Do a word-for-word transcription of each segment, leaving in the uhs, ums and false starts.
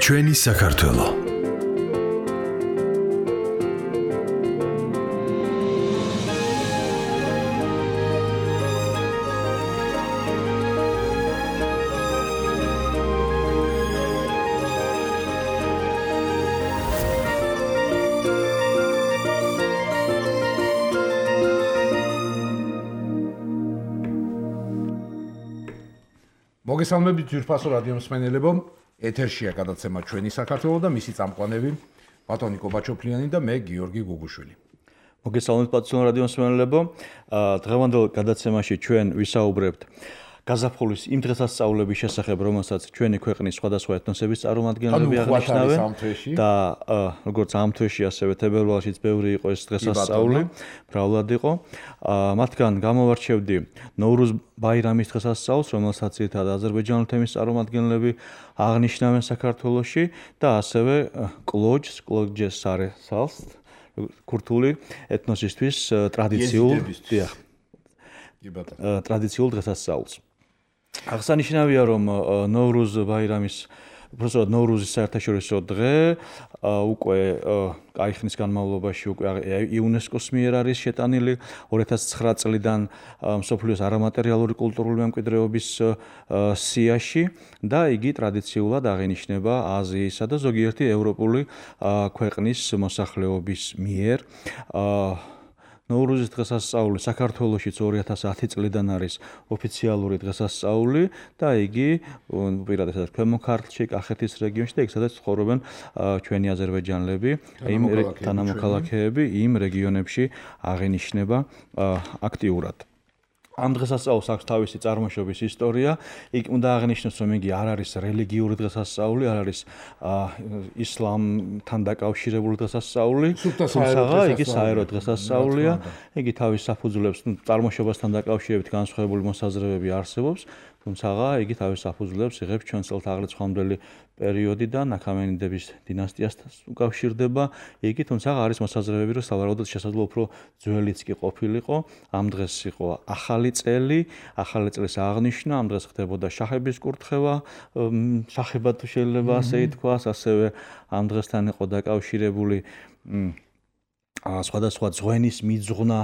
ჩვენი საქართველო. მოგესალმებით ძვირფასო რადიო მსმენელებო, ეთერშია გადაცემა ჩვენი საქართველო და მისი წამყვანები ბატონი კობაჩოფლიანი და მე გიორგი გუგუშვილი. მოგესალმებით ბატონო რადიო მსმენელებო, დღევანდელ გადაცემაში ჩვენ ვისაუბრებთ გაზაფხულის იმ დღესასწაულების შესახებ, რომელსაც ჩვენი ქვეყნის სხვადასხვა ეთნოსების წარმომადგენლები აღნიშნავენ და როგორც ამ თვეში, ასევე თებერვალშიც ბევრი იყო ეს დღესასწაული, მრავლად იყო. მათგან გამოვარჩევდი ნოვრუზ ბაირამის დღესასწაულს, რომელსაც ძირითადად აზერბაიჯანული თემის წარმომადგენლები აღნიშნავენ საქართველოში და ასევე კლოჯს, კლოჯეს სარესალს, ქურთული ეთნოსისთვის ტრადიციულ ტრადიციულ დღესასწაულს. აღსანიშნავია, რომ ნოვრუზ ბაირამის უბრალოდ ნოვრუზის საერთაშორისო დღე უკვე კაი ხნის განმავლობაში უკვე იუნესკოს მიერ არის შეტანილი ორი ათას ცხრა წლიდან მსოფლიოს არამატერიალური კულტურული მემკვიდრეობის სიაში და იგი ტრადიციულად აღინიშნება აზიისა და ზოგიერთი ევროპული ქვეყნის მოსახლეობის მიერ. ნოვრუზის დღესასწაული საქართველოშიც ორი ათას ათი წლიდან არის ოფიციალური დღესასწაული და იგი პირადად ქვემო ქართლში, კახეთის რეგიონში და იქ სადაც ცხოვრობენ ჩვენი აზერბაიჯანელები, იმ თანამოქალაქეები იმ რეგიონებში აღინიშნება აქტიურად. ამ დღესასწაულს აქვს თავისი წარმოშობის ისტორია. იქ უნდა აღნიშნოს, რომ იგი არ არის რელიგიური დღესასწაული, არ არის ისლამთან დაკავშირებული დღესასწაული, თუმცა იგი საერო დღესასწაულია. იგი თავის საფუძვლებს წარმოშობასთან დაკავშირებით განსხვავებული მოსაზრებები არსებობს, თუმცა იგი თავის საფუძვლებს იღებს ჩვენ წელთაღრიცხვამდელი პერიოდიდან აქამენიდების დინასტიასთან უკავშირდება. იგი თუმცა არის მოსაზრებები, რომ სავარაუდოდ შესაძლოა უფრო ძველიც კი ყოფილიყო. ამ დღეს იყო ახალი წელი, ახალი წლის აღნიშვნა, ამ დღეს ხდებოდა შახების კურთხევა, შახება თუ შეიძლება ასე ითქვას, ასევე ამ დღესთან იყო დაკავშირებული სხვადასხვა ძღვენის მიძღვნა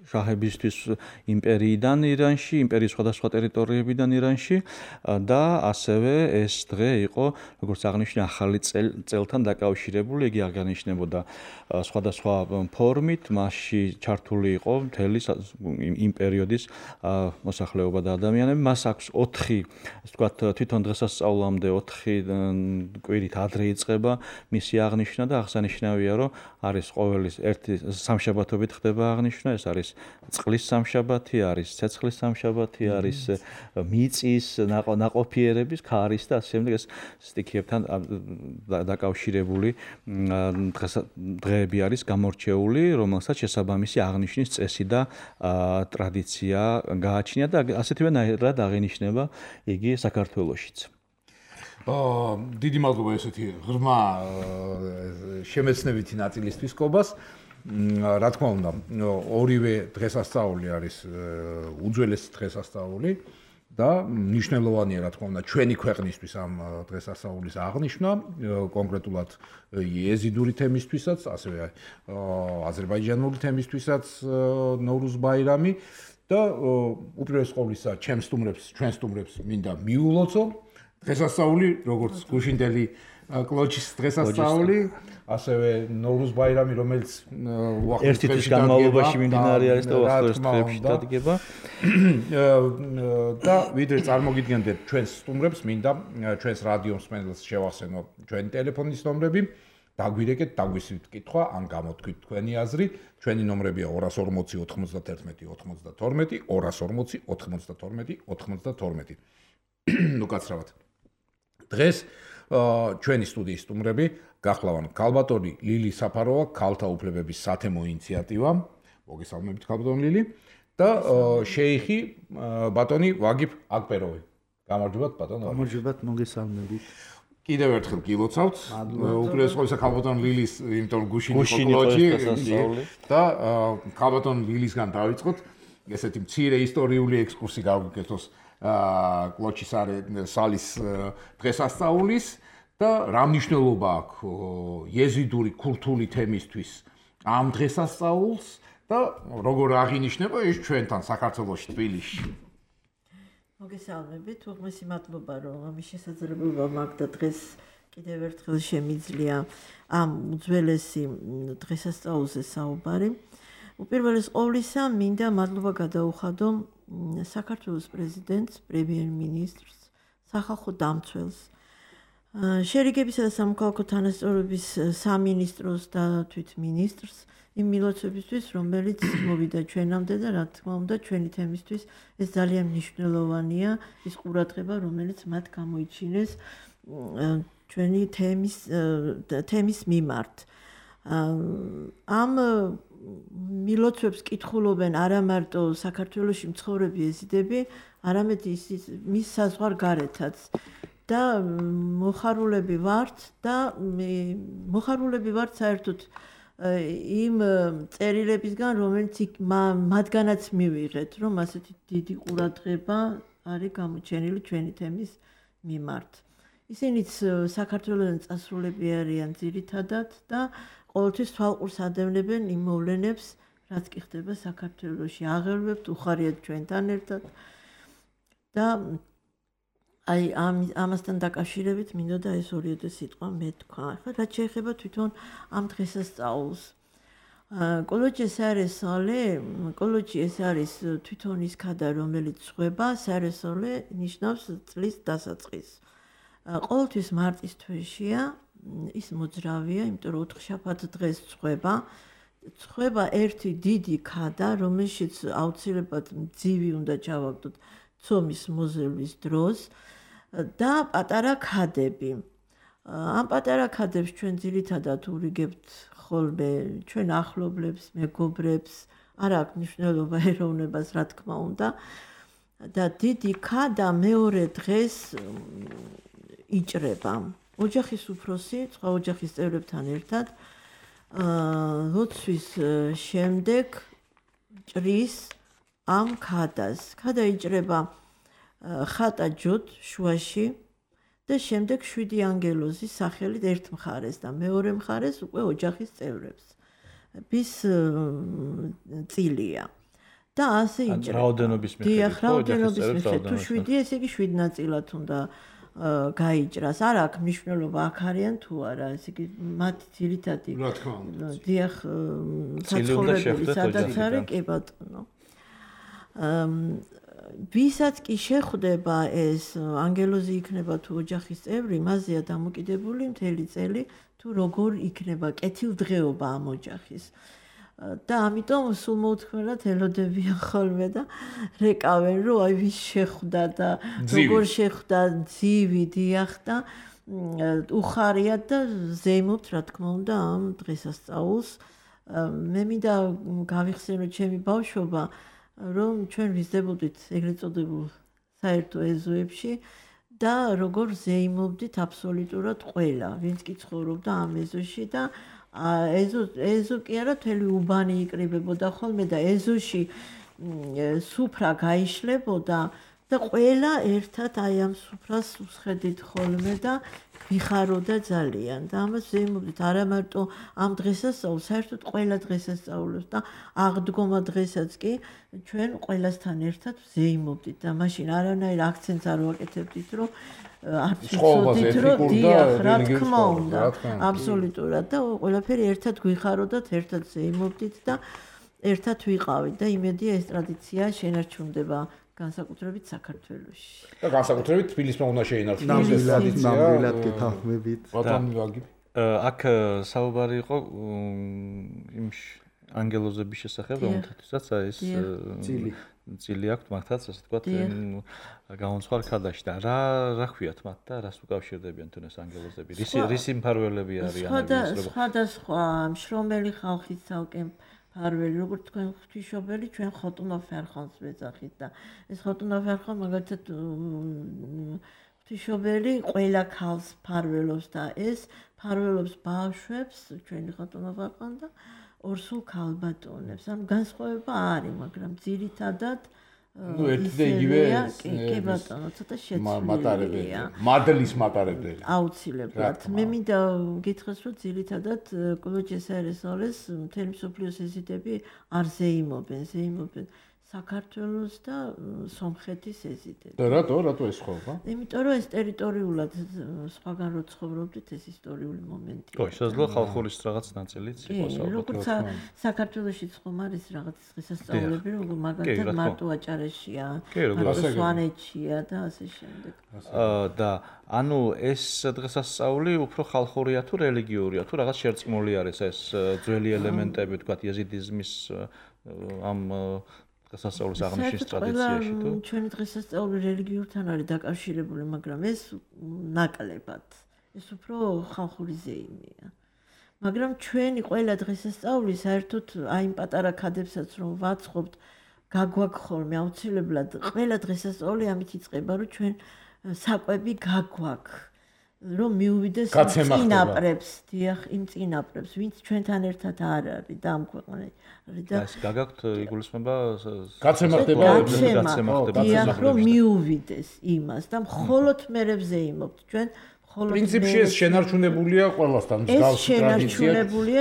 შაჰებისთვის იმპერიიდან ირანში, იმპერიის სხვადასხვა ტერიტორიებიდან ირანში და ასევე ეს დღე იყო, როგორც აღნიშნე, ახალი წელთან დაკავშირებული, იგი აღნიშნებოდა სხვადასხვა ფორმით, მასში ჩართული იყო მთელი იმ პერიოდის მოსახლეობა და ადამიანები. მას აქვს ოთხი, ასე ვთქვათ, თვითონ დღესასწაულამდე ოთხი კვირით ადრე იწყება მისი აღნიშვნა და აღსანიშნავია, რომ არის ყოველი ერთი სამშაბათობით ხდება აღნიშვნა, ეს არის წყლის სამშაბათი, არის ცეცხლის სამშაბათი, არის მიწის ნაყოფიერების, ქარის და ასე შემდეგ ეს სტიქიებთან დაკავშირებული დღეები არის გამორჩეული, რომელსაც შესაბამისი აღნიშვნის წესი და ტრადიცია გააჩნია და ასეთივე ნაირად აღინიშნება იგი საქართველოშიც. დიდი მადლობა ესეთი ღრმა შემეცნებითი ნაწილისთვის კობას. რა თქმა უნდა, ორივე დღესასწაული არის უძველესი დღესასწაული და მნიშვნელოვანია, რა თქმა უნდა, ჩვენი ქვეყნისთვის ამ დღესასწაულის აღნიშვნა, კონკრეტულად იეზიდური თემისთვისაც, ასევე აზერბაიჯანული თემისთვისაც ნოვრუზ ბაირამი და უპირველეს ყოვლისა, ჩემს სტუმრებს, ჩვენ სტუმრებს მინდა მიულოცო დღესასწაული, როგორც გუშინდელი კლოჯის დღესასწაული, ასევე ნოვრუზ ბაირამი, რომელიც ერთი თვის განმავლობაში მიმდინარე არის და უახლოეს დღეებში დადგება. და ვიდრე წარმოგიდგენდეთ ჩვენს სტუმრებს, მინდა ჩვენს რადიო მსმენელს შევახსენო ჩვენი ტელეფონის ნომრები, დაგვირეკეთ, დაგვისვით კითხვა, ან გამოთქვით თქვენი აზრი. ჩვენი ნომრებია ორას ორმოცი ოთხმოცდათერთმეტი ოცდათორმეტი, ორას ორმოცი ოთხმოცდათორმეტი ოცდათორმეტი. ნუ კაცრავად. დღეს ჩვენი სტუდიის სტუმრები გახლავან ქალბატონი ლილი საფაროვა, ქალთა უფლებების სათემო ინიციატივა, მოგესალმებით ქალბატონი ლილი და შეიხი ბატონი ვაგიფ აკბეროვი. გამარჯობათ ბატონო. გამარჯობათ, მოგესალმებით. კიდევ ერთხელ გილოცავთ. უპირველეს ყოვლისა ქალბატონ ლილის, იმიტომ გუშინი ყოლოჯი და ქალბატონ ლილისგან დავიწყოთ. ესეთი მცირე ისტორიული ექსკურსი გავგეკეთოს კლოჩის სალის დღესასწაულის და რა მნიშვნელობა აქვს იეზიდური კულტურული თემისთვის ამ დღესასწაულს და როგორ აღინიშნება ის ჩვენთან საქართველოში თბილისში. მოგესალმებით, უღმესი მადლობა რომ ამის შესაძლებლობა მაქვს და დღეს კიდევ ერთხელ შემიძლია ამ უძველესი დღესასწაულზე საუბარი. უპირველეს ყოვლისა მინდა მადლობა გადაუხადო საქართველოს პრეზიდენტს, პრემიერ-მინისტრს, სახალხო დამცველს, შერიგებისა და სამოქალაქო თანასწორობის სამინისტროს და თვითმინისტრს იმ მილოცებისთვის, რომელიც მოვიდა ჩვენამდე და რა თქმა უნდა ჩვენი თემისთვის ეს ძალიან მნიშვნელოვანია ის ყურადღება, რომელიც მათ გამოიჩინეს ჩვენი თემის თემის მიმართ. ამ მილოცვებს კითხულობენ არა მარტო საქართველოში მცხოვრები ეზიდები, არამედ ის მის საზღვარგარეთაც და მოხარულები ვართ და მოხარულები ვართ საერთოდ იმ წერილებისგან, რომელიც მათგანაც მივიღეთ, რომ ასეთი დიდი ყურადღება არის გამოჩენილი ჩვენი თემის მიმართ. ისინიც საქართველოსთან წასულები არიან ძირითადად და ყოველთვის თვალყურს ადევნებენ იმ მოვლენებს, რაც კი ხდება საქართველოში. აღელვებთ, უხარიათ ჩვენთან ერთად და აი ამ ამასთან დაკავშირებით მინდოდა ეს ორიოდე სიტყვა მეთქვა. ახლა რაც შეეხება თვითონ ამ დღესასწაულს. კოლოჯი ეს არის სოლე, კოლოჯი ეს არის თვითონ ის ქადა, რომელიც ხვება, სარესოლე ნიშნავს წლის დასაწყისს. ყოველთვის მარტის თვეშია ის მოძრავია, იმიტომ რომ ოთხშაბათ დღეს ცხება. ცხება ერთი დიდი ქადა, რომელშიც აუცილებლად მძივი უნდა ჩავაგდოთ ცომის მოზრების დროს და პატარა ქადები. ამ პატარა ქადებს ჩვენ ძირითადად ურიგებთ ხოლმე ჩვენ ახლობლებს, მეგობრებს, არ აქვს მნიშვნელობა ეროვნებას, რა თქმა უნდა. და დიდი ქადა მეორე დღეს იჭრება. ოჯახის უფროსი, სხვა ოჯახის წევრებთან ერთად ლოცვის შემდეგ ჭრის ამ ქადას. ქადა იჭრება ხატა ჯოთ შუაში და შემდეგ შვიდი ანგელოზის სახელით ერთ მხარეს და მეორე მხარეს უკვე ოჯახის წევრებს. bis წილია. და ასე იჭრება. რაოდენობის მიხედვით. დიახ, რაოდენობის მიხედვით. თუ შვიდი, ესე იგი შვიდ ნაწილად უნდა გაიჭრას. არ აქვს მნიშვნელობა აქ არიან თუ არა, ესე იგი მათი ძირითადი რა თქმა უნდა. დიახ, საცხოვრებელი სადაც არის, კი ბატონო. ვისაც კი შეხვდება ეს ანგელოზი იქნება თუ ოჯახის წევრი, მასზეა დამოკიდებული მთელი წელი თუ როგორ იქნება კეთილდღეობა ამ ოჯახის. და ამიტომ სულ მოუთქმელად ელოდებიან ხოლმე და რეკავენ, რომ აი ვის შეხვდა და როგორ შეხვდა ძივი დიახ და უხარიათ და ზეიმობთ რა თქმა უნდა ამ დღესასწაულს. მე მინდა გავიხსენო ჩემი ბავშვობა, რომ ჩვენ ვიზრდებოდით ეგრეთ წოდებულ საერთო ეზოებში და როგორ ზეიმობდით აბსოლუტურად ყველა, ვინც კი ცხოვრობდა ამ ეზოში და ეზო ეზო კი არა მთელი უბანი იკრიბებოდა ხოლმე და ეზოში სუფრა გაიშლებოდა და ყველა ერთად აი ამ სუფრას უსხედით ხოლმე და ვიხაროდა ძალიან და ამას ვეიმობდით არა მარტო ამ დღესასწაულს, საერთოდ ყველა დღესასწაულს და აღდგომა დღესაც კი ჩვენ ყველასთან ერთად ვეიმობდით და მაშინ არანაირ აქცენტს არ ვაკეთებდით, რომ არც ვიცოდით, რომ დიახ, რა თქმა უნდა, აბსოლუტურად და ყველაფერი ერთად გვიხაროდათ, ერთად ვეიმობდით და ერთად ვიყავით და იმედია ეს ტრადიცია შენარჩუნდება განსაკუთრებით საქართველოში. და განსაკუთრებით თბილისმა უნდა შეინარჩუნოს ეს ტრადიცია. ნამდვილად გეთანხმებით. ბატონი ვაგი. აქ საუბარი იყო იმ ანგელოზების შესახებ, რომელთაც ეს წილი წილი აქვს მართაც, ასე ვთქვათ, გამოსხარ ქადაში და რა რა ქვიათ მათ და რას უკავშირდებიან თუნდაც ანგელოზები? რისი რისი მფარველები არიან? სხვადასხვა მშრომელი ხალხის ცალკე მფარველი, როგორც თქვენ ღვთისმშობელი, ჩვენ ხოტუნა ფერხონს ვეძახით და ეს ხოტუნა ფერხონ მაგალითად ღვთისმშობელი ყველა ქალს ფარველობს და ეს ფარველობს ბავშვებს, ჩვენი ხატონა ვაყან და ორსულ ქალბატონებს. ანუ განსხვავება არის, მაგრამ ძირითადად ну ერთი და იგივე კი ბატონო, ცოტა შეცვლილია. მადლის მატარებელი. აუცილებლად. მე მინდა გითხრას, რომ ძირითადად კოლოჯეს აერესოლეს მთელი მსოფლიოს ეზიდები არ ზეიმობენ, ზეიმობენ საქართველოს და სომხეთის ეზიდები. და რატო, რატო ეს ხობა? იმიტომ რომ ეს ტერიტორიულად სხვაგან რო ცხოვრობდით, ეს ისტორიული მომენტია. ხო, შესაძლოა ხალხურის რაღაც ნაწილიც იყოს ალბათ. როგორც საქართველოშიც ხომ არის რაღაც დღესასწაულები, რომ მაგალითად მარტოაჭარეშია, სვანეთშია და ასე შემდეგ. და ანუ ეს დღესასწაული უფრო ხალხურია თუ რელიგიურია, თუ რაღაც შერწყმული არის ეს ძველი ელემენტები, თქვათ ეზიდიზმის ამ დღესასწაულის აღნიშვნის ტრადიციაში თუ ჩვენი დღესასწაული რელიგიურთან არის დაკავშირებული, მაგრამ ეს ნაკლებად. ეს უფრო ხალხური ზეიმია. მაგრამ ჩვენი ყველა დღესასწაული საერთოდ აი იმ პატარა ქადებსაც რომ ვაცხობთ, გაგვაქვს ხოლმე აუცილებლად ყველა დღესასწაული ამით იწყება, რომ ჩვენ საკვები გაგვაქვს. რომ მიუვიდეს წინაპრებს, დიახ, იმ წინაპრებს, ვინც ჩვენთან ერთად არ არის და ამ ქვეყანაში და ეს გაგაქვთ იგულისხმება გაცემა ხდება, გაცემა ხდება, დიახ, რომ მიუვიდეს იმას და მხოლოდ მერებზე იმობთ ჩვენ მხოლოდ პრინციპში ეს შენარჩუნებულია ყველასთან მსგავსი ტრადიცია,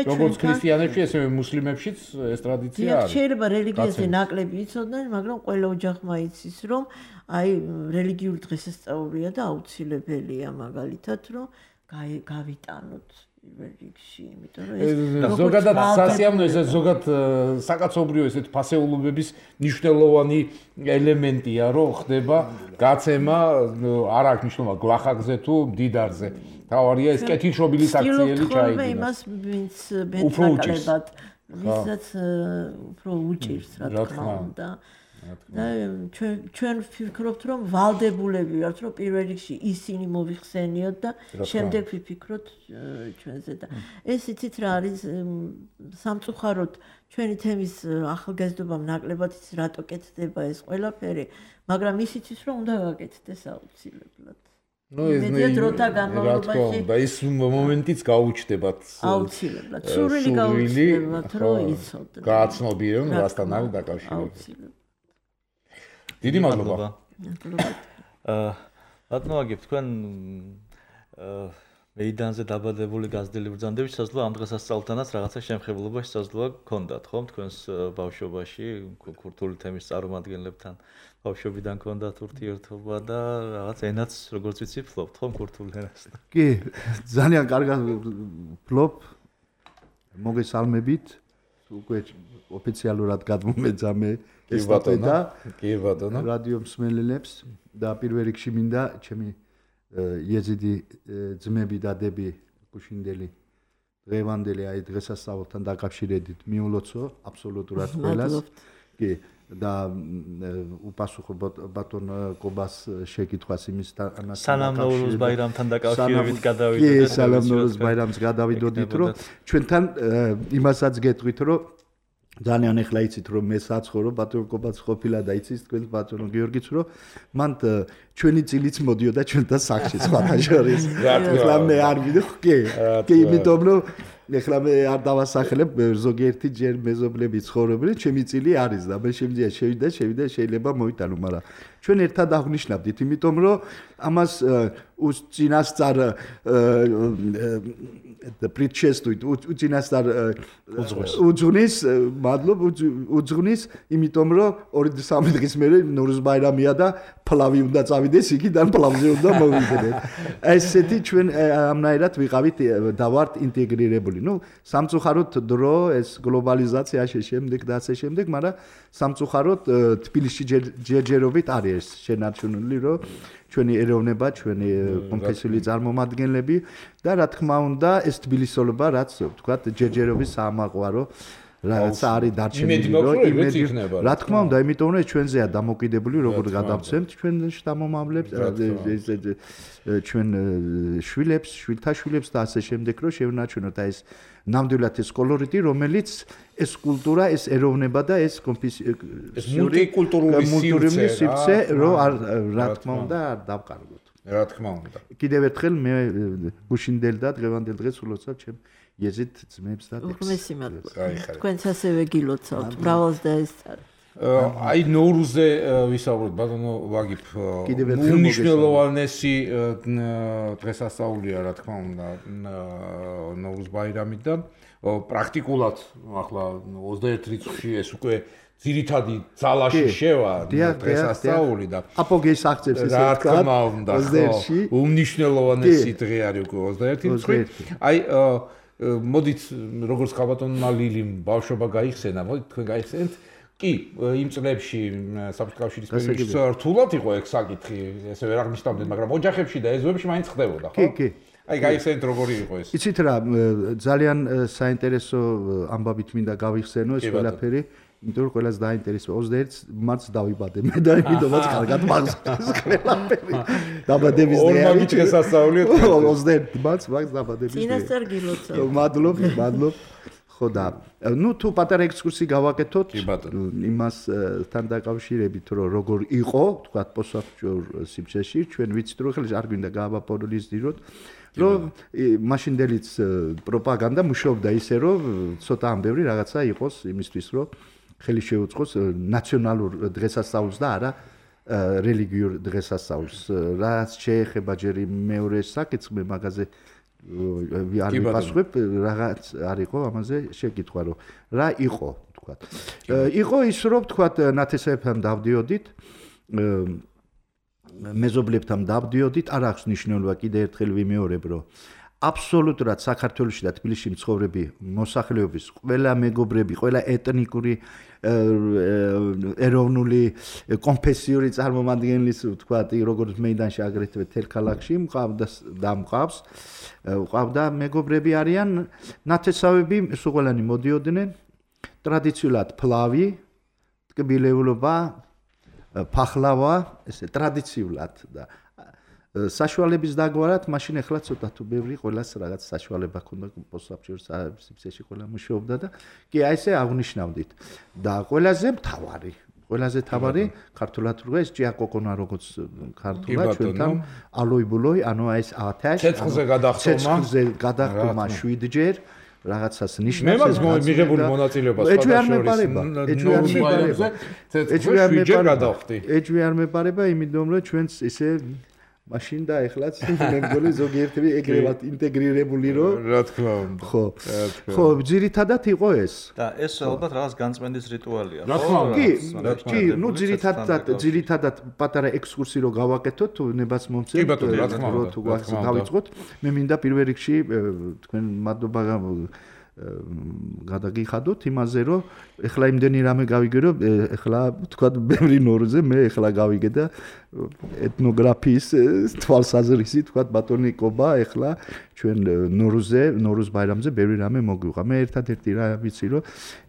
როგორც ქრისტიანებში, ესე მუსლიმებშიც ეს ტრადიცია არის. შეიძლება რელიგიაზე ნაკლები იცოდნენ, მაგრამ ყველა ოჯახმა იცის, რომ აი რელიგიური დღესასწაულია და აუცილებელია მაგალითად რომ გავიტანოთ პირველ რიგში, იმიტომ რომ ეს ზოგადად სასიამოვნო, ეს ზოგადად საკაცობრიო ესეთ ფასეულობების მნიშვნელოვანი ელემენტია, რომ ხდება გაცემა, არ აქვს მნიშვნელობა გვახაკზე თუ მდიდარზე. თავარია ეს კეთილშობილი საქციელი ჩაიდინა. იმას ვინც მეტნაკლებად, ვისაც უფრო უჭირს, რა თქმა უნდა. და ჩვენ ჩვენ ვფიქრობთ, რომ ვალდებულები ვართ, რომ პირველ რიგში ისინი მოვიხსენიოთ და შემდეგ ვიფიქროთ ჩვენზე და ეს იცით რა არის სამწუხაროდ ჩვენი თემის ახალგაზრდობამ ნაკლებად იცის რატო კეთდება ეს ყველაფერი, მაგრამ ისიც ის რომ უნდა გაკეთდეს აუცილებლად. ნუ ეს ნუ და ის მომენტიც გაუჩნდებათ აუცილებლად. სურვილი გაუჩნდებათ, რომ იცოდნენ. გააცნობიერონ რასთან არის დაკავშირებული. დიდი მადლობა. აა ბატონოგებ თქვენ მეიდანზე დაბადებული გაზრდილი ბრძანდები შესაძლოა ამ დღესასწაულთანაც რაღაცა შემხებლობა შესაძლოა გქონდათ, ხომ? თქვენს ბავშვობაში ქურთული თემის წარმომადგენლებთან ბავშვობიდან გქონდათ ურთიერთობა და რაღაც ენაც როგორც ვიცი ფლობთ, ხომ ქურთულ ენას? კი, ძალიან კარგად ფლობ. მოგესალმებით. უკვე ოფიციალურად გადმომეძამე ეს და კი ბატონო რადიო მსმენელებს და პირველ რიგში მინდა ჩემი იეზიდი ძმები და დები გუშინდელი დღევანდელი აი დღესასწაულთან დაკავშირებით მიულოცო აბსოლუტურად ყველას კი და უპასუხო ბატონ კობას შეკითხვას იმის სალამ ნოვრუზ ბაირამთან დაკავშირებით გადავიდოდეთ კი სალამ ნოვრუზ ბაირამს გადავიდოდით რომ ჩვენთან იმასაც გეტყვით რომ ძალიან ეხლა იცით რომ მე საცხოვრო ბატონ კობაც ყოფილა და იცის თქვენ ბატონო გიორგიც რომ მან ჩვენი წილიც მოდიოდა ჩვენთან სახში სხვათა შორის ეხლა მე არ ვიდო კი კი იმიტომ რომ ეხლა მე არ დავასახლებ ზოგიერთი ჯერ მეზობლები ცხოვრობენ ჩემი წილი არის და მე შემიძლია შევიდე შევიდე შეიძლება მოვიტანო მაგრამ ჩვენ ერთად აღნიშნავდით იმიტომ რომ ამას უწინასწარ და პრიჩესტუით უწინასწარ უძღვნის მადლობ უძღვნის იმიტომ რომ ორი სამი დღის მერე ნოვრუზ ბაირამია და ფლავი უნდა წავიდეს იქიდან ფლავზე უნდა მოვიდეთ ესეთი ჩვენ ამნაირად ვიყავით და ვართ ინტეგრირებული ну სამწუხაროდ დრო ეს გლობალიზაციაში შემდეგ და ასე შემდეგ მაგრამ სამწუხაროდ თბილისში ჯერჯერობით არის შენარჩუნული რომ ჩვენი ეროვნება, ჩვენი კონფესიული წარმომადგენლები და რა თქმა უნდა ეს თბილისელობა რაც ვთქვათ ჯერჯერობის საამაყვარო რაც არის დარჩენილი რომ იმედი რა თქმა უნდა იმიტომ რომ ჩვენზეა დამოკიდებული როგორ გადავცემთ ჩვენ შთამომავლებს ჩვენ შვილებს, შვილთა შვილებს და ასე შემდეგ რომ შევნაჩვენოთ აი ეს ნამდვილად ეს კოლორიტი რომელიც ეს კულტურა, ეს ეროვნება და ეს კონფესიური კულტურული სივრცე რომ რა თქმა უნდა არ დავკარგოთ. რა თქმა უნდა. კიდევ ერთხელ მე გუშინდელ და დღევანდელ დღეს ულოცავ ჩემ იეზით ძმებს და უღმესი მადლობა. თქვენც ასევე გილოცავთ. მრავალს და ეს აი ნოურუზე ვისაუბროთ ბატონო ვაგიფ უნიშნელოვანესი დღესასწაულია რა თქმა უნდა ნოურუზ ბაირამი და პრაქტიკულად ახლა ოცდაერთ რიცხვში ეს უკვე ძირითადი ძალაში შევა დღესასწაული და აპოგეის აღწევს ესე რა თქმა უნდა უნიშნელოვანესი დღე არის უკვე ოცდაერთი რიცხვი აი მოდით როგორც ხალბატონმა ლილიმ ბავშვობა გაიხსენა მოდით თქვენ გაიხსენეთ კი იმ წლებში საბჭოთა კავშირის პერიოდში რთულად იყო ეგ საკითხი ესე ვერ აღნიშნავდნენ მაგრამ ოჯახებში და ეზოებში მაინც ხდებოდა ხო კი კი აი გაიხსენეთ როგორი იყო ეს იცით რა ძალიან საინტერესო ამბავით მინდა გავიხსენო ეს ყველაფერი იმიტომ რომ ყველას დაინტერესება ოცდაერთს მარტს დავიბადე მე და იმიტომაც კარგად მახსოვს ყველაფერი დაბადების დღე არის დღესასწაულია ოცდაერთი მარტს მაგ დაბადების დღე წინასწარ გილოცავ მადლობ მადლობ ხო და ნუ თუ პატარა ექსკურსი გავაკეთოთ იმასთან დაკავშირებით რომ როგორ იყო თქვა პოსტსაბჭოურ სივრცეში ჩვენ ვიცით რომ ხელს არ გვინდა გააბაპორიზდიროთ რომ მაშინდელიც პროპაგანდა მუშაობდა ისე რომ ცოტა ამ ბევრი რაღაცა იყოს იმისთვის რომ ხელი შეუწყოს ნაციონალურ დღესასწაულს და არა რელიგიურ დღესასწაულს რაც შეეხება ჯერ მეორე საკითხს მე მაგაზე არ ვიპასუხებ რაღაც არ იყო ამაზე შეკითხვა რომ რა იყო თქვა იყო ის რომ თქვა ნათესავებთან დავდიოდით მეზობლებთან დავდიოდით არ აქვს მნიშვნელობა კიდე ერთხელ ვიმეორებ რომ აბსოლუტურად საქართველოში და თბილისში მცხოვრები მოსახლეობის ყველა მეგობრები ყველა ეთნიკური ეროვნული კონფესიური წარმომადგენლის თქვა როგორც მეიდანში აგრეთვე თელ ქალაქში მყავდა და მყავს ყავდა მეგობრები არიან ნათესავები სულყველანი მოდიოდნენ ტრადიციულად ფლავი ტკბილეულობა ფახლავა ესე ტრადიციულად და საშუალების დაგვარად მაშინ ახლა ცოტა თუ ბევრი ყველას რაღაც საშუალება ქონდა პოსტსაბჭოურ სივრცეში ყველა მუშაობდა და კი აი ესე აღნიშნავდით და ყველაზე მთავარი ყველაზე მთავარი ქართულად რო ეს ჭიაკოკონა როგორც ქართულად ჩვენთან ალოიბულოი ანუ აი ეს ათაშ ცეცხლზე გადახტომა ცეცხლზე გადახტომა შვიდჯერ რაღაცას ნიშნავს ეს მიღებული მონაწილეობა სხვადასხვა ეჭვი არ მეპარება ეჭვი არ მეპარება ეჭვი არ მეპარება იმიტომ რომ ჩვენც ისე მაშინ და ეხლაც მე მგონი ზოგიერთი ეგრევად ინტეგრირებული რომ რა თქმა უნდა ხო ხო ძირითადად იყო ეს და ეს ალბათ რაღაც განწმენდის რიტუალია რა თქმა უნდა კი კი ნუ ძირითადად ძირითადად პატარა ექსკურსი რო გავაკეთოთ თუ ნებას მომწევთ რო თუ გავიწყოთ მე მინდა პირველ რიგში თქვენ მადლობა გადაგიხადოთ იმაზე რომ ეხლა იმდენი რამე გავიგე რომ ეხლა თქვა ბევრი ნორზე მე ეხლა გავიგე და ეთნოგრაფიის თვალსაზრისი თქვა ბატონი კობა ეხლა ჩვენ ნორზე ნორუზ ბაირამზე ბევრი რამე მოგვიყვა მე ერთადერთი რა ვიცი რომ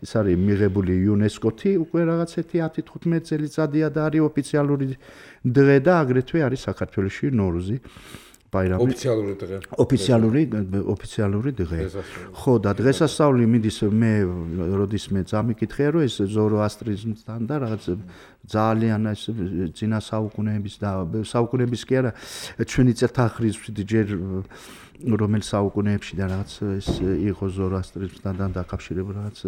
ეს არის მიღებული იუნესკოთი უკვე რაღაც ერთი ათი თხუთმეტი წელიწადია და არის ოფიციალური დღე და აგრეთვე არის საქართველოში ნორუზი ბაირამი ოფიციალური დღე ოფიციალური ოფიციალური დღე ხო და დღესასწაული მიდის მე როდის მე წამიკითხია რომ ეს ზოროასტრიზმთან და რაღაც ძალიან ეს ძინა საუკუნეების და საუკუნეების კი არა ჩვენი წელთაღრიცხვით ჯერ რომელ საუკუნეებში და რაღაც ეს იყო ზოროასტრიზმთან დაკავშირებული რაღაც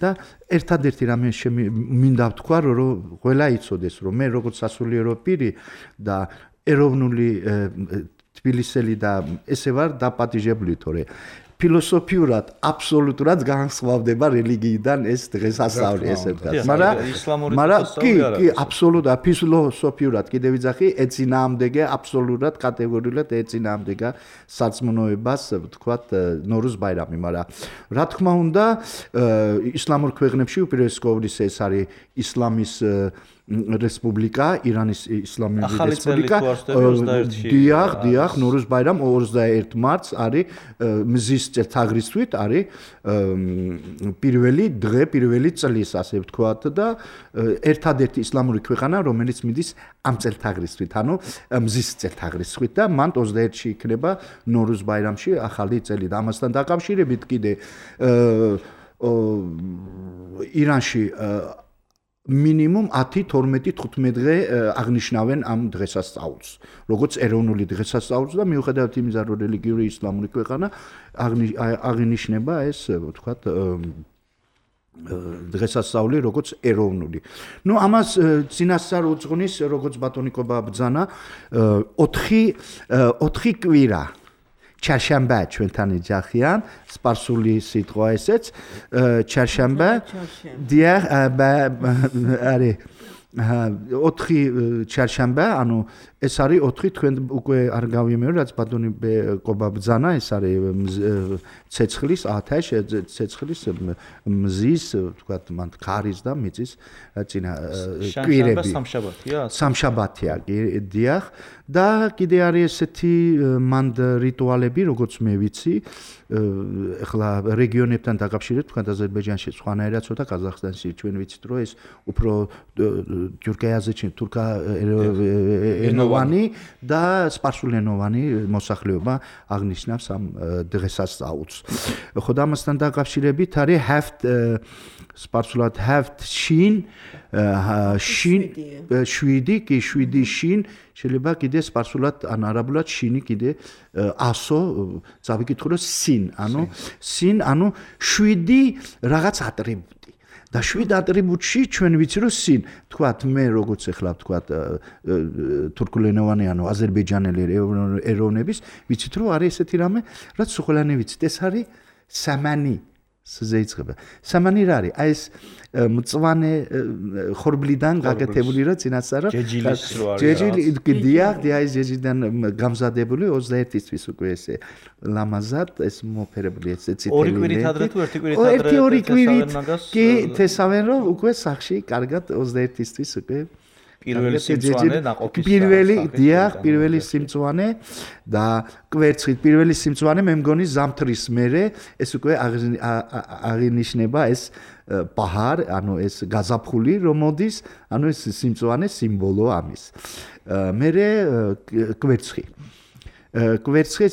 და ერთადერთი რამე მინდა ვთქვა რომ ყველა იცოდეს რომ მე როგორც სასულიერო პირი და ეროვნული თბილისელი და ესე ვარ დაპატიჟებული თორე ფილოსოფიურად აბსოლუტურად განსხვავდება რელიგიიდან ეს დღესასწაული ესე ვთქვათ მაგრამ მაგრამ კი კი აბსოლუტურად ფილოსოფიურად კიდევ ვიძახი ეცინაამდეგე აბსოლუტურად კატეგორიულად ეცინაამდეგა სარწმუნოებას ვთქვათ ნორუზ ბაირამი მაგრამ რა თქმა უნდა ისლამურ ქვეყნებში უპირველეს ყოვლისა ეს არის ისლამის რესპუბლიკა ირანის ისლამური რესპუბლიკა დიახ დიახ ნორუზ ბაირამ ოცდაერთი მარტს არის მზის წელთაღრიცხვით არის პირველი დღე პირველი წლის ასე ვთქვათ და ერთადერთი ისლამური ქვეყანა რომელიც მიდის ამ წელთაღრიცხვით ანუ მზის წელთაღრიცხვით და მან ოცდაერთში იქნება ნორუზ ბაირამში ახალი წელი და ამასთან დაკავშირებით კიდე ირანში მინიმუმ ათი, თორმეტი, თხუთმეტი დღე აღნიშნავენ ამ დღესასწაულს, როგორც ეროვნული დღესასწაულს და მიუხედავად იმისა, რომ რელიგიური ისლამური ქვეყანა აღინიშნება ეს, ვთქვათ, დღესასწაული როგორც ეროვნული. ნუ ამას წინასწარ უძღვნის, როგორც ბატონიკობა ბრძანა, ოთხი კვირა ჩარშანბა ჩვენთან ეძახიან, სპარსული სიტყვა ესეც, ჩარშანბა. დიახ, არი ოთხი ჩარშანბა, ანუ ეს არის ოთხი, თქვენ უკვე არ გავიმეორე, რაც ბატონი ყობა ბრძანა, ეს არის ცეცხლის, ათაშ, ცეცხლის მზის, ვთქვათ, მან ქარის და მიწის წინა კვირები. სამშაბათია? სამშაბათია, დიახ. და კიდე არის ესეთი მანდ რიტუალები, როგორც მე ვიცი, ეხლა რეგიონებთან დაკავშირებით, თქვენ აზერბაიჯანში სხვანაირად ცოტა, ყაზახստანში ჩვენ ვიცით, რომ ეს უფრო თურქეთაზე თურქა ენოვანი და სპარსულენოვანი მოსახლეობა აღნიშნავს ამ დღესასწაულს. ხო და ამასთან დაკავშირებით არის have სპარსულად have შინ შინ შვიდი კი შვიდი შინ შეიძლება კიდე სპარსულად ან არაბულად შინი კიდე ასო წავიკითხო რომ სინ ანუ სინ ანუ შვიდი რაღაც ატრიბუტი და შვიდ ატრიბუტში ჩვენ ვიცი რომ სინ თქვათ მე როგორც ახლა თქვათ თურქულენოვანი ანუ აზერბაიჯანელი ეროვნების ვიცით რომ არის ესეთი რამე რაც სუხლანი ვიცით ეს არის სამანი ზეიწყება. სამანი რა არის? აი ეს მწვანე ხორბლიდან გაკეთებული რა წინასწარ ჯეჯილის რო არის. ჯეჯილი დიახ, აი ეს ჯეჯიდან გამზადებული ოცდაერთისთვის უკვე ესე ლამაზად ეს მოფერებული ესე წითელი. ორი კვირით ადრე თუ ერთი კვირით ადრე? ერთი ორი კვირით კი თესავენ რომ უკვე სახში კარგად ოცდაერთისთვის უკვე პირველი სიმწვანე ნაყოფის პირველი დიახ პირველი სიმწვანე და კვერცხით პირველი სიმწვანე მე მგონი ზამთრის მერე ეს უკვე აღინიშნება ეს ბაჰარ ანუ ეს გაზაფხული რომ მოდის ანუ ეს სიმწვანე სიმბოლო ამის მერე კვერცხი კვერცხი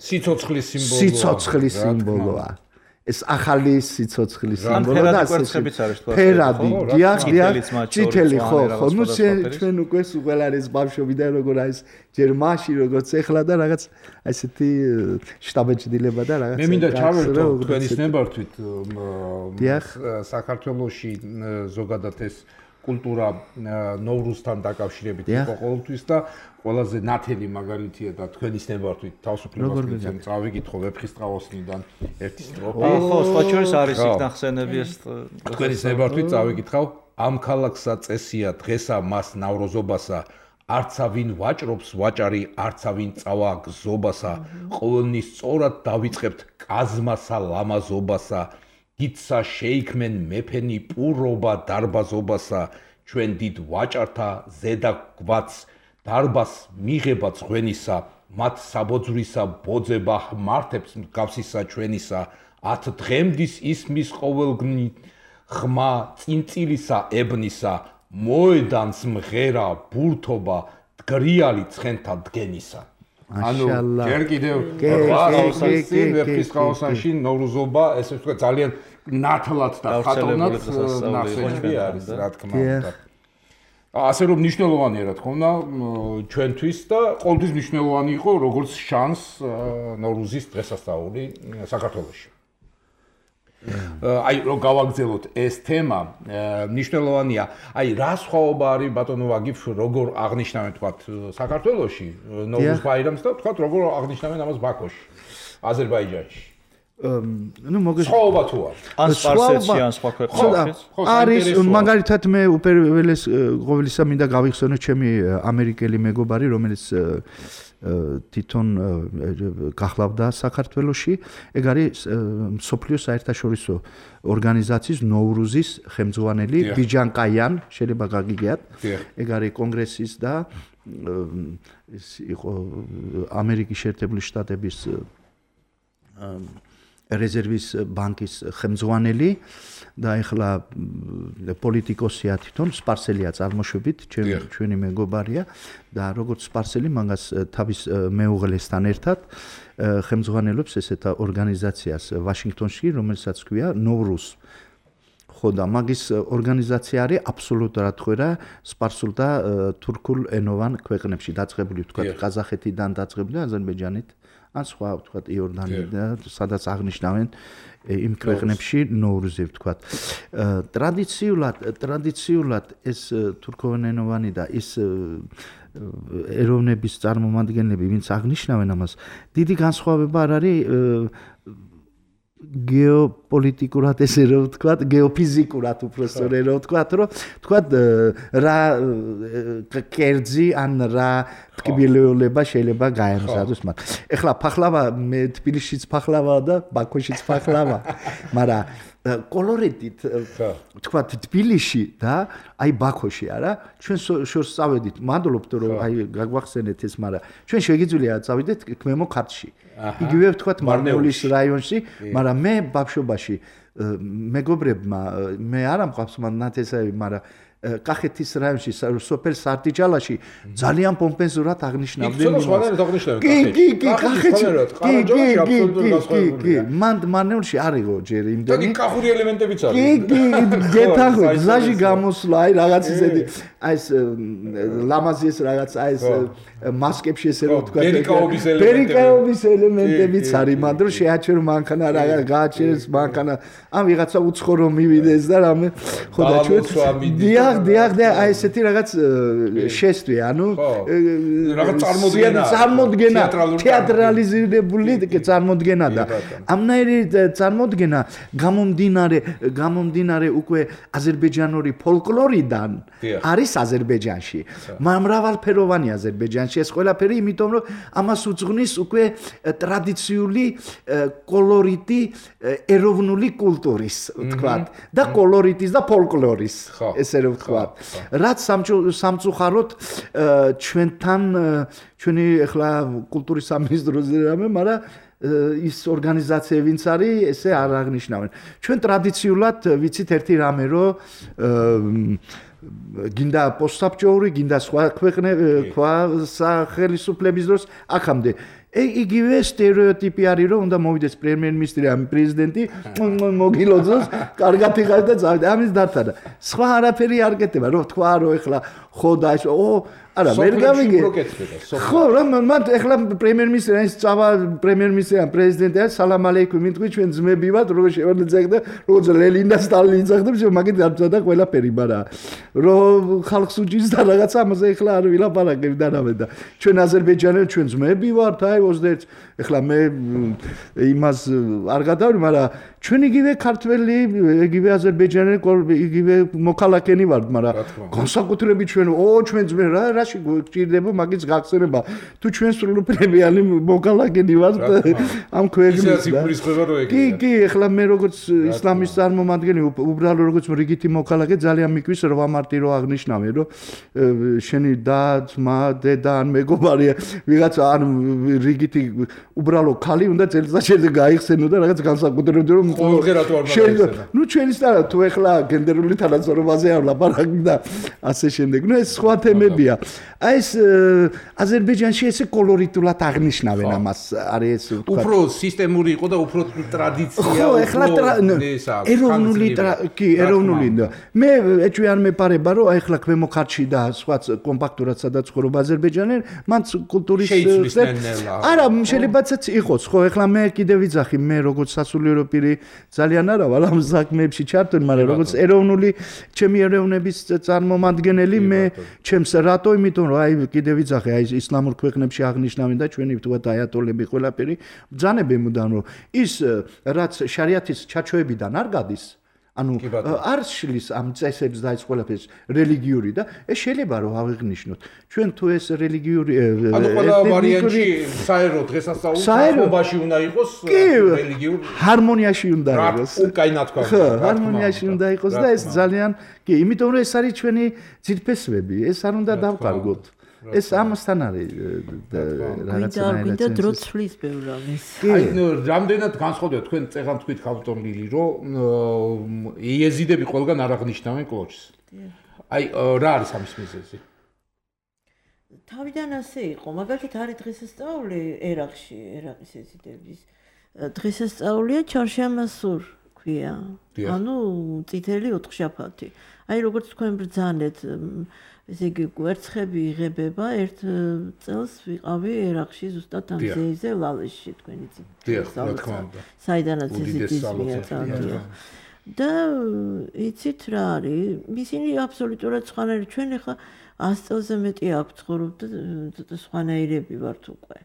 სიცოცხლის სიმბოლოა სიცოცხლის სიმბოლოა ეს ახალი სიცოცხლის სიმბოლო და ასე ფერადი დიახ დიახ წითელი ხო ხო ნუ ჩვენ უკვე უყველარის ბავშვობიდან როგორ არის ჯერ მაში როგორც ეხლა და რაღაც ასეთი შტაბეჭდილება და რაღაც მე მინდა ჩავერთო თქვენის ნებართვით საქართველოში ზოგადად ეს კულტურა ნოვრუსთან დაკავშირებით იყო ყოველთვის და ყველაზე ნათელი მაგალითია და თქვენის ნებართვით თავისუფლებას წავიკითხო ვეფხისტყაოსნიდან ერთი სტროფა. ხო, სხვა შორის არის იქ ნახსენები ეს თქვენის ნებართვით წავიკითხავ ამ ქალაქსა წესია დღესა მას ნავროზობასა არცავინ ვაჭრობს ვაჭარი არცავინ წავა გზობასა ყოველნის სწორად დავიწყებთ კაზმასა ლამაზობასა გიცა შეიქმენ მეფენი პურობა დარბაზობასა ჩვენ დიდ ვაჭართა ზედა გვაც დარბას მიღება ღვენისა მათ საბოძვრისა ბოძება მართებს გავსისა ჩვენისა ათ დღემდის ისმის ყოველგნი ხმა წინწილისა ებნისა მოედანს მღერა ბურთობა დგრიალი ცხენთა დგენისა ანუ ჯერ კიდევ ვეფხისტყაოსანში ნოვრუზობა ესე ვთქვა ძალიან ნათლად და ხატოვნად ნახსენები არის რა თქმა უნდა ასე რომ მნიშვნელოვანია რა თქმა უნდა ჩვენთვის და ყოველთვის მნიშვნელოვანი იყო როგორც შანს ნოვრუზის დღესასწაული საქართველოში აი რომ გავაგზავნოთ ეს თემა მნიშვნელოვანია აი რა სხვაობა არის ბატონო ვაგიფ როგორ აღნიშნავენ თქვათ საქართველოში ნოვრუზ ბაირამს და თქვათ როგორ აღნიშნავენ ამას ბაქოში აზერბაიჯანში ну მოგეს სხვაობა თუ არის ან სპარსეთში ან სხვა ქვეყნებში არის მაგალითად მე უპირველეს ყოველისა მინდა გავიხსენო ჩემი ამერიკელი მეგობარი რომელიც თვითონ გახლავდა საქართველოში ეგ არის მსოფლიოს საერთაშორისო ორგანიზაციის ნოვრუზის ხელმძღვანელი ბიჯანკაიან შეიძლება გაგიგიათ ეგ არის კონგრესის და ის იყო ამერიკის შეერთებული შტატების რეზერვის ბანკის ხელმძღვანელი და ეხლა პოლიტიკოსია თვითონ სპარსელია წარმოშობით ჩემი ჩვენი მეგობარია და როგორც სპარსელი მაგას თავის მეუღლესთან ერთად ხელმძღვანელობს ესეთ ორგანიზაციას ვაშინგტონში რომელსაც ქვია ნოვრუზ ხო და მაგის ორგანიზაცია არის აბსოლუტურად ხვერა სპარსულ და თურქულ ენოვან ქვეყნებში დაწყებული ვთქვათ ყაზახეთიდან დაწყებული აზერბაიჯანით ან სხვა ვთქვათ იორდანია სადაც აღნიშნავენ იმ ქვეყნებში ნოვრუზი ვთქვათ ტრადიციულად ტრადიციულად ეს თურქულენოვანი და ის ეროვნების წარმომადგენლები ვინც აღნიშნავენ ამას დიდი განსხვავება არ არის გეოპოლიტიკურად ესე რომ ვთქვათ, გეოფიზიკურად უბრალოდ რომ ვთქვათ, რომ ვთქვათ რა კერძი ან რა ტკბილეულება შეიძლება გაემზადოს მათ. ეხლა ფახლავა მე თბილისშიც ფახლავაა და ბაქოშიც ფახლავა, მაგრამ კოლორიტით ვთქვათ თბილისში და აი ბაქოში არა, ჩვენ შორს წავედით, მადლობთ რომ აი გაგვახსენეთ ეს, მაგრამ ჩვენ შეგიძლია წავიდეთ ქმემო ქართლში. იგივე ვთქვათ მარნეულის რაიონში, მაგრამ მე ბავშვობაში მეგობრებმა მე არ ამყავს ნათესავი, მაგრამ კახეთის რაიონში სოფელ სარტიჯალაში ძალიან პომპეზურად აღნიშნავდნენ იმას. კი, კი, კი, კახეთში. კი, კი, კი, კი, მან მარნეულში არისო ჯერ იმდენი. და კახური ელემენტებიც არის. კი, კი, გეთახო, გზაში გამოსვლა, აი რაღაც ისეთი, აი ეს ლამაზი ეს რაღაც, აი ეს მასკებში ესე რომ ვთქვა, ბერიკაობის ელემენტები. ბერიკაობის ელემენტებიც არის, მაგრამ შეაჩერო მანქანა რაღაც გააჩერეს მანქანა, ამ ვიღაცა უცხო რომ მივიდეს და რამე ხო და ჩვენ დიახ, დიახ და აი ესეთი რაღაც შეესტვი, ანუ რაღაც წარმოდგენა, წარმოდგენა, თეატრალიზირებული წარმოდგენა და ამნაირი წარმოდგენა გამომდინარე, გამომდინარე უკვე აზერბაიჯანური ფოლკლორიდან არის აზერბაიჯანში. მრავალფეროვანი აზერბაიჯანში ეს ყველაფერი, იმიტომ რომ ამას უძღვნის უკვე ტრადიციული კოლორიტი ეროვნული კულტურის, ვთქვათ, და კოლორიტის და ფოლკლორის, ესე რომ ვთქვათ. რაც სამწუხაროდ ჩვენთან ჩვენი ახლა კულტურის სამინისტროზე რამე, მაგრამ ის ორგანიზაციები ვინც არის, ესე არ აღნიშნავენ. ჩვენ ტრადიციულად ვიცით ერთი რამე, რომ გინდა პოსტსაბჭოური, გინდა სხვა ქვეყნები, სხვა სახელმწიფოების დროს აქამდე იგივე სტერეოტიპი არის, რომ უნდა მოვიდეს პრემიერ-მინისტრი ან პრეზიდენტი, მოგილოძოს, კარგად იხარ და წავიდე. ამის დარწმუნა. სხვა არაფერი არ გეტება, რომ თქვა, რომ ეხლა ხო და ეს ო არა, ვერ გავიგე. ხო, რომ მან ეხლა პრემიერ-მინისტრი ის წავა პრემიერ-მინისტრი ან პრეზიდენტი არის, სალამ ალეიქუმ, მიტყვი ჩვენ ძმები ვართ, როგორ შევარდეთ და როგორც ლენინ და სტალინი ძახდებს, მაგით დარწმუნა ყველაფერი, მაგრამ რომ ხალხს უჭირს და რაღაცა ამაზე ეხლა არ ვილაპარაკებ და რამე და ჩვენ აზერბაიჯანელი ჩვენ ძმები ვართ, აი ოცდაერთი ეხლა მე იმას არ გადავრი, მაგრამ ჩვენ იგივე ქართველი, იგივე აზერბაიჯანელი, იგივე მოქალაქენი ვართ, მაგრამ განსაკუთრებით ჩვენ ო ჩვენ ძმე რა რაში გჭირდება მაგის გახსენება. თუ ჩვენ სრულუფლებიანი მოქალაქენი ვართ ამ ქვეყნის და კი, კი, ეხლა მე როგორც ისლამის წარმომადგენელი, უბრალოდ როგორც რიგითი მოქალაქე ძალიან მიკვირს რომ ამარტი რო აღნიშნავენ, რომ შენი და ძმა, დედა ან მეგობარი ვიღაცა ან რიგითი უბრალოდ ხალი უნდა წელიწადში გაიხსენო და რაღაც განსაკუთრებულად რომ ყოველდღე რატო არ მაგახსენა. ნუ ჩვენი სტარა თუ ეხლა გენდერული თანაცნობაზე არ ვლაპარაკი და ასე შემდეგ. ნუ ეს სხვა თემებია. აი ეს აზერბაიჯანში ესე კოლორიტულად აღნიშნავენ ამას, არის ეს ვთქვათ. უფრო სისტემური იყო და უფრო ტრადიცია, ხო, ეხლა ეროვნული კი, ეროვნული. მე ეჭვი არ მეპარება, რომ აი ეხლა ქვემო ქართლში და სხვა კომპაქტურად სადაც ცხოვრობ აზერბაიჯანელი, მან კულტურის არა, შეიძლებაც იყოს, ხო, ეხლა მე კიდე ვიძახი, მე როგორც სასულიერო პირი ძალიან არა ვარ ამ საქმეებში ჩართული, მაგრამ როგორც ეროვნული ჩემი ეროვნების წარმომადგენელი მე ჩემს რატო, იმიტომ რომ აი კიდე ვიძახი, აი ისლამურ ქვეყნებში აღნიშნავენ და ჩვენი ვთქვათ აიატოლები ყველაფერი ბრძანებენ მუდამ, რომ ის რაც შარიათის ჩაჩოებიდან არ გადის, ანუ არ შლის ამ წესებს და ეს ყველაფერს რელიგიური და ეს შეიძლება რომ ავიღნიშნოთ. ჩვენ თუ ეს რელიგიური ანუ ყველა ვარიანტი საერო დღესასწაულში უნდა იყოს რელიგიური ჰარმონიაში უნდა იყოს. კაი ნათქვა. ხო, ჰარმონიაში უნდა იყოს და ეს ძალიან კი, იმიტომ რომ ეს არის ჩვენი ძირფესვები, ეს არ უნდა დავკარგოთ. ეს ამასთან არის რაღაცნაირად გინდა დრო ცვლის ბევრ რამეს. აი რამდენად განსხვავდება თქვენ წეღან თქვით ქავტონლილი, რომ იეზიდები ყველგან არ აღნიშნავენ კლოჩს. აი რა არის ამის მიზეზი? თავიდან ასე იყო, მაგალითად არის დღესასწაული ერაყში, ერაყის იეზიდების დღესასწაულია ჩარშამასურ ქვია. ანუ წითელი ოთხშაბათი. აი როგორც თქვენ ბრძანეთ, ესე იგი კვერცხები იღებება ერთ წელს ვიყავი ერაყში ზუსტად ამ ზეიზე ლალეშში თქვენ იცით. დიახ, რა თქმა უნდა. საიდანაც ესეთი ზმია. და იცით რა არის? ისინი აბსოლუტურად სხვანაირი ჩვენ ახლა ას წელზე მეტი აქვს ცხოვრობ და ცოტა სხვანაირები ვართ უკვე.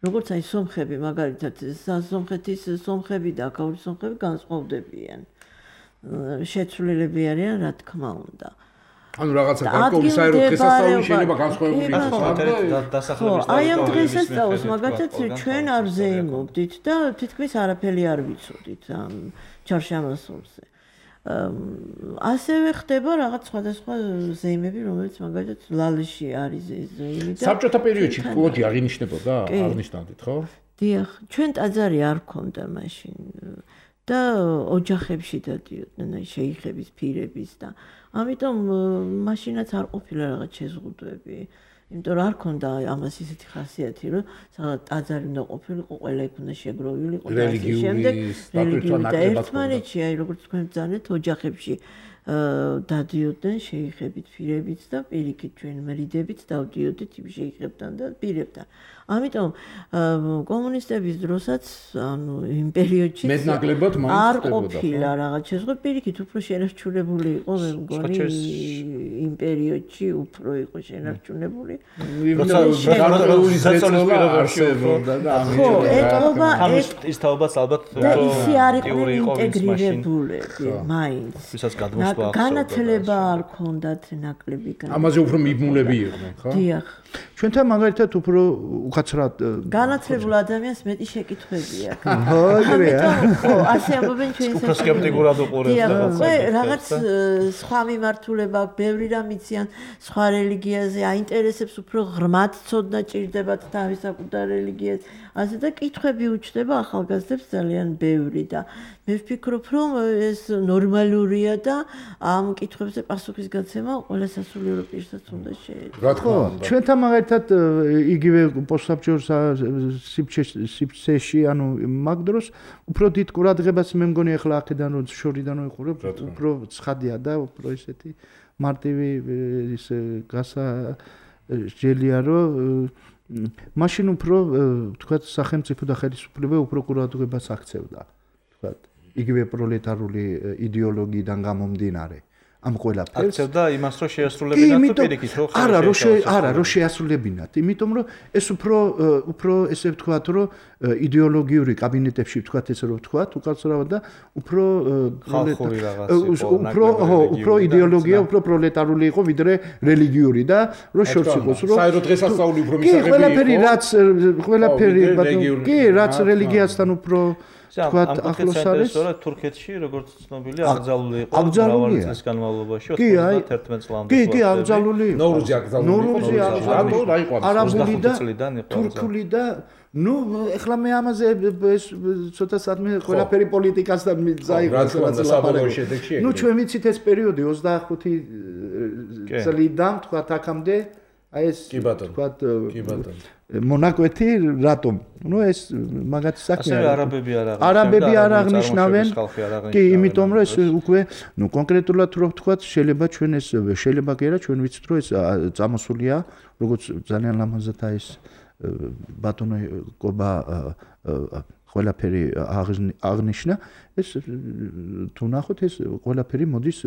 როგორც აი სომხები მაგალითად სომხეთის სომხები და აქაური სომხები განსხვავდებიან. შეცვლილები არიან რა თქმა უნდა. ანუ რაღაცა გარკვეული საერთო დღესასწაული შეიძლება განსხვავებული იყოს. ხო, აი ამ დღესასწაულს მაგალითად ჩვენ არ ზეიმობდით და თითქმის არაფერი არ ვიცოდით ამ ჩარშამასულზე. ასევე ხდება რაღაც სხვადასხვა ზეიმები, რომელიც მაგალითად ლალეში არის ზეიმი და საბჭოთა პერიოდში კოლოჯი აღინიშნებოდა, აღნიშნავდით, ხო? დიახ, ჩვენ ტაძარი არ ქონდა მაშინ. და ოჯახებში დადიოდნენ აი შეიხების პირების და ამიტომ მაშინაც არ ყოფილა რაღაც შეზღუდვები. იმიტომ რომ არ ქონდა ამას ისეთი ხასიათი, რომ სადაც ტაძარი უნდა ყოფილიყო, ყველა იქ უნდა შეგროვილიყო და ასე შემდეგ. რელიგიური და ერთმანეთში აი როგორც თქვენ ბრძანეთ ოჯახებში დადიოდნენ შეიხებით პირებით და პირიქით ჩვენ მრიდებით დავდიოდით იმ შეიხებთან და პირებთან. ამიტომ კომუნისტების დროსაც ანუ იმ პერიოდში მეტნაკლებად მაინც არ ყოფილა რაღაც შეზღუდვა პირიქით უფრო შენარჩუნებული იყო მე მგონი იმ პერიოდში უფრო იყო შენარჩუნებული გარკვეული ზეწოლა არსებობდა და ხო ეტყობა ის თაობაც ალბათ ისი არ იყო ინტეგრირებულები მაინც ვისაც გადმოსვლა განათლება არ ქონდათ ნაკლები განათლება ამაზე უფრო მიბმულები იყვნენ ხო დიახ ჩვენთან მაგალითად უფრო უკაცრად განათლებულ ადამიანს მეტი შეკითხვები აქვს. ხო, ეგრეა. ხო, ასე ამბობენ ჩვენი უფრო სკეპტიკურად უყურებს. ხო, რაღაც სხვა მიმართულება აქვს, ბევრი რამ იციან სხვა რელიგიაზე, აინტერესებს უფრო ღრმად ცოდნა ჭირდებათ თავის საკუთარ რელიგიას. ასე და კითხვები უჩნდება ახალგაზრდებს ძალიან ბევრი და მე ვფიქრობ, რომ ეს ნორმალურია და ამ კითხვებზე პასუხის გაცემა ყველა სასულიერო პირსაც უნდა შეეძლოს. რა თქმა უნდა. ჩვენთან მაგალითად იგივე პოსტსაბჭოს სივრცეში, ანუ მაგ დროს უფრო დიდ ყურადღებას მე მგონი ახლა აქედან რომ შორიდან ვიყურებ, უფრო ცხადია და უფრო ისეთი მარტივი ის გასაჯელია რომ მაშინ უფრო თქვათ სახელმწიფო და ხელისუფლება უფრო ყურადღებას აქცევდა, თქვათ იგივე პროლეტარული იდეოლოგიიდან გამომდინარე. ამ ყველაფერს აქცევდა იმას რომ შეასრულებინათ თუ პირიქით რომ არა რომ არა რომ შეასრულებინათ იმიტომ რომ ეს უფრო უფრო ესე ვთქვათ რომ იდეოლოგიური კაბინეტებში ვთქვათ ესე რომ ვთქვათ უკაცრავად და უფრო უფრო უფრო იდეოლოგია უფრო პროლეტარული იყო ვიდრე რელიგიური და რომ შორს იყოს რომ საერთო დღესასწაული უფრო მისაღები იყო ყველაფერი რაც ყველაფერი კი რაც რელიგიასთან უფრო თქვათ ახლოს არის თურქეთში როგორც ცნობილია აკრძალული იყო მრავალი წლის განმავლობაში ოცდაათერთმეტ წლამდე კი კი აკრძალული ნოვრუზი აკრძალული იყო არაბული და თურქული და ნუ ეხლა მე ამაზე ეს ცოტა საათმე ყველაფერი პოლიტიკასთან წაიღოს საბოლოო შედეგში ნუ ჩვენ ვიცით ეს პერიოდი ოცდაახუთი წლიდან თქვათ აქამდე აი ეს თქვათ კი ბატონო მონაკვეთი რატომ? ნუ ეს მაგათი საქმეა. ასევე არაბები არ აღნიშნავენ. არაბები არ აღნიშნავენ. კი, იმიტომ რომ ეს უკვე ნუ კონკრეტულად რო ვთქვათ, შეიძლება ჩვენ ეს შეიძლება კი არა, ჩვენ ვიცით რომ ეს წამოსულია, როგორც ძალიან ლამაზად ეს ბატონო კობა ყველაფერი აღნიშნა, ეს თუ ნახოთ ეს ყველაფერი მოდის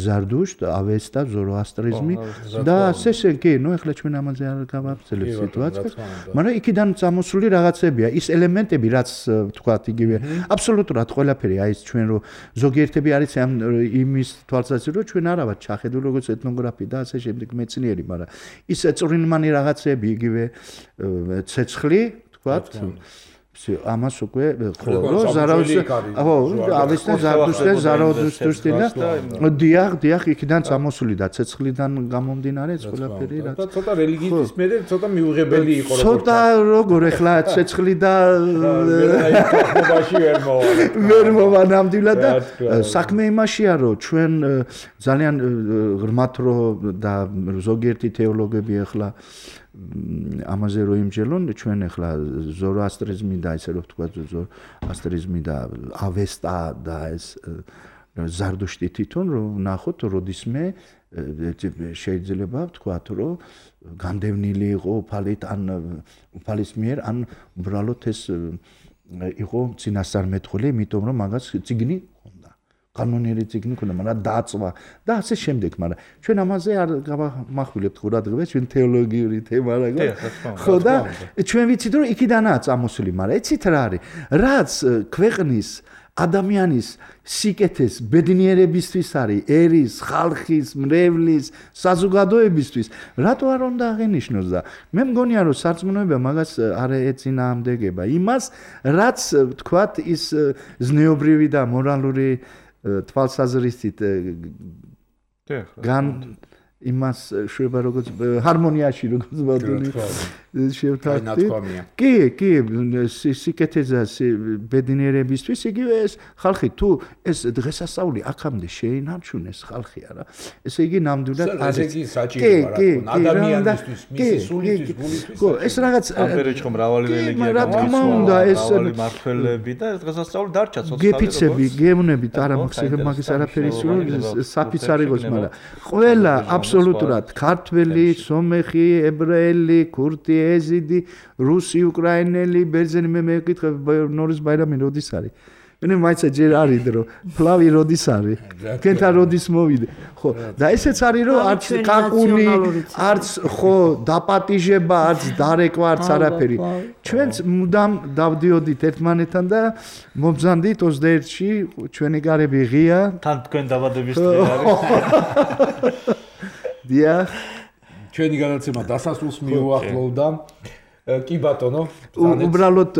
ზარდუშტ, ავესტა, ზოროასტრიზმი და ასე კი, ნუ ეხლა ჩვენ ამაზე არ გავაგრძელებ სიტუაციას, მაგრამ იქიდან წამოსული რაღაცებია, ის ელემენტები, რაც ვთქვათ, იგივე აბსოლუტურად ყველაფერი, აი ეს ჩვენ რო ზოგიერთები არის ამ იმის თვალსაზრისით, რომ ჩვენ არა ვართ ჩახედული როგორც ეთნოგრაფი და ასე შემდეგ მეცნიერი, მაგრამ ის წვრილმანი რაღაცები, იგივე ცეცხლი, ვთქვათ, ამას უკვე ხო რომ ზარავის ხო ავესტა ზარდუშტე ზაროდუშტე და დიახ დიახ იქიდან წამოსული და ცეცხლიდან გამომდინარე ეს ყველაფერი რა ცოტა რელიგიის მერე ცოტა მიუღებელი იყო როგორც ცოტა როგორ ეხლა ცეცხლი და აი ვერ მოვა ვერ მოვა ნამდვილად და საქმე იმაშია რომ ჩვენ ძალიან ღრმათ რო და ზოგიერთი თეოლოგები ეხლა ამაზე რო იმჯელონ ჩვენ ახლა ზოროასტრიზმი და ესე რომ ვთქვა ზოროასტრიზმი და ავესტა და ეს ზარდუშტი თვითონ რომ ნახოთ როდისმე შეიძლება ვთქვათ რომ განდევნილი იყო უფალით ან უფალის მიერ ან უბრალოდ ეს იყო წინასწარმეტყველი იმიტომ რომ მაგას ციგნი ჰქონდა კანონიერი ციგნი ჰქონდა მაგრამ დაწვა და ასე შემდეგ მაგრამ ჩვენ ამაზე არ გავამახვილებთ ყურადღებას ჩვენ თეოლოგიური თემა რა ხო და ჩვენ ვიცით რომ იქიდანაა წამოსული მაგრამ იცით რა არის რაც ქვეყნის ადამიანის სიკეთეს ბედნიერებისთვის არის ერის, ხალხის, მრევლის, საზოგადოებისთვის, რატო არ უნდა აღენიშნოს და მე მგონია რომ სარწმუნოება მაგას არ ეწინააღმდეგება იმას, რაც თქვათ ის ზნეობრივი და მორალური თვალსაზრისით გან იმას შვება როგორც ჰარმონიაში როგორც ბატონი შევთანხმდი. კი, კი, სიკეთეზე ბედნიერებისთვის იგივე ეს ხალხი თუ ეს დღესასწაული აქამდე შეინარჩუნეს ხალხი არა. ესე იგი ნამდვილად არის. ესე იგი საჭირო რა ადამიანისთვის, მისი სულისთვის, გულისთვის. ხო, ეს რაღაც ამერეჩ ხომ მრავალი რელიგია გამოდის, მრავალი მართველები და ეს დღესასწაული დარჩა ცოცხალი. გეფიცები, გემნებით არა მაგის არაფერი სულ საფიც არ იყოს, მაგრამ ყველა აბსოლუტურად ქართველი, სომეხი, ებრაელი, ქურთი, ეზიდი, რუსი, უკრაინელი, ბერძენი მე მეკითხე ნორის ბაირამი როდის არის? მე მაიცა ჯერ არის დრო, ფლავი როდის არის? თქვენთან როდის მოვიდე? ხო, და ესეც არის რომ არც კაკუნი, არც ხო დაპატიჟება, არც დარეკვა, არც არაფერი. ჩვენც მუდამ დავდიოდით ერთმანეთთან და მომბრძანდით ოცდაერთში ჩვენი გარები ღია. თან თქვენ დაბადების დღე არის. დიახ, ჩვენი განაცემა დასასრულს მიუახლოვდა. კი ბატონო, უბრალოდ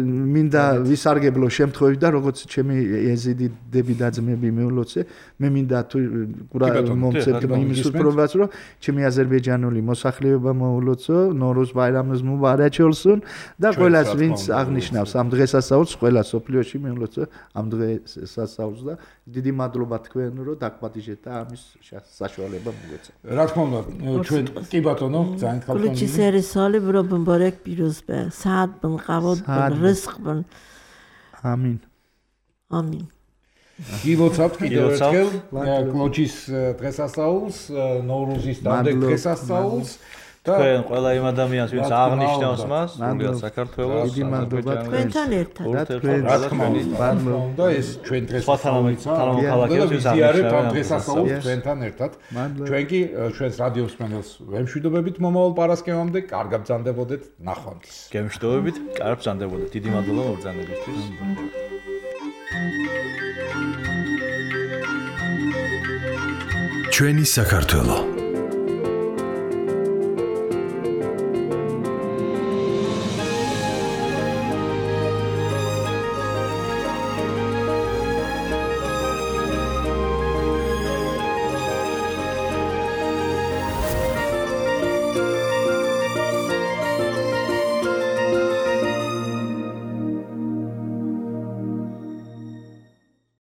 მინდა ვისარგებლო შემთხვევით და როგორც ჩემი ეზიდი დები და ძმები მეულოცე, მე მინდა თუ მომცეთ იმის უპრობას რომ ჩემი აზერბაიჯანული მოსახლეობა მოულოცო, ნორუზ ბაირამს მუბარაკ olsun და ყველას ვინც აღნიშნავს ამ დღესასწაულს, ყველა სოფლიოში მეულოცო ამ დღესასწაულს და დიდი მადლობა თქვენ რომ დაგპატიჟეთ და ამის საშუალება მოგეცა. რა თქმა უნდა, ჩვენ კი ბატონო, ძალიან ხალხო. Ключи сервисали бробен پیروز به سعد بن قواد بن رزق بن آمین آمین გილოცავთ კიდევ ერთხელ კლოჩის დღესასწაულს, ნოვრუზის დამდეგ დღესასწაულს და თქვენ ყველა იმ ადამიანს ვინც აღნიშნავს მას, სრულიად საქართველოს დიდი მადლობა თქვენთან ერთად რა თქმა უნდა ეს ჩვენ დღესასწაულიც ვიზიარებთ დღესასწაულს თქვენთან ერთად ჩვენ კი ჩვენს რადიო მსმენელს ვემშვიდობებით მომავალ პარასკევამდე კარგ ბრძანდებოდეთ ნახვამდის გემშვიდობებით კარგ ბრძანდებოდეთ დიდი მადლობა მობრძანებისთვის ჩვენი საქართველო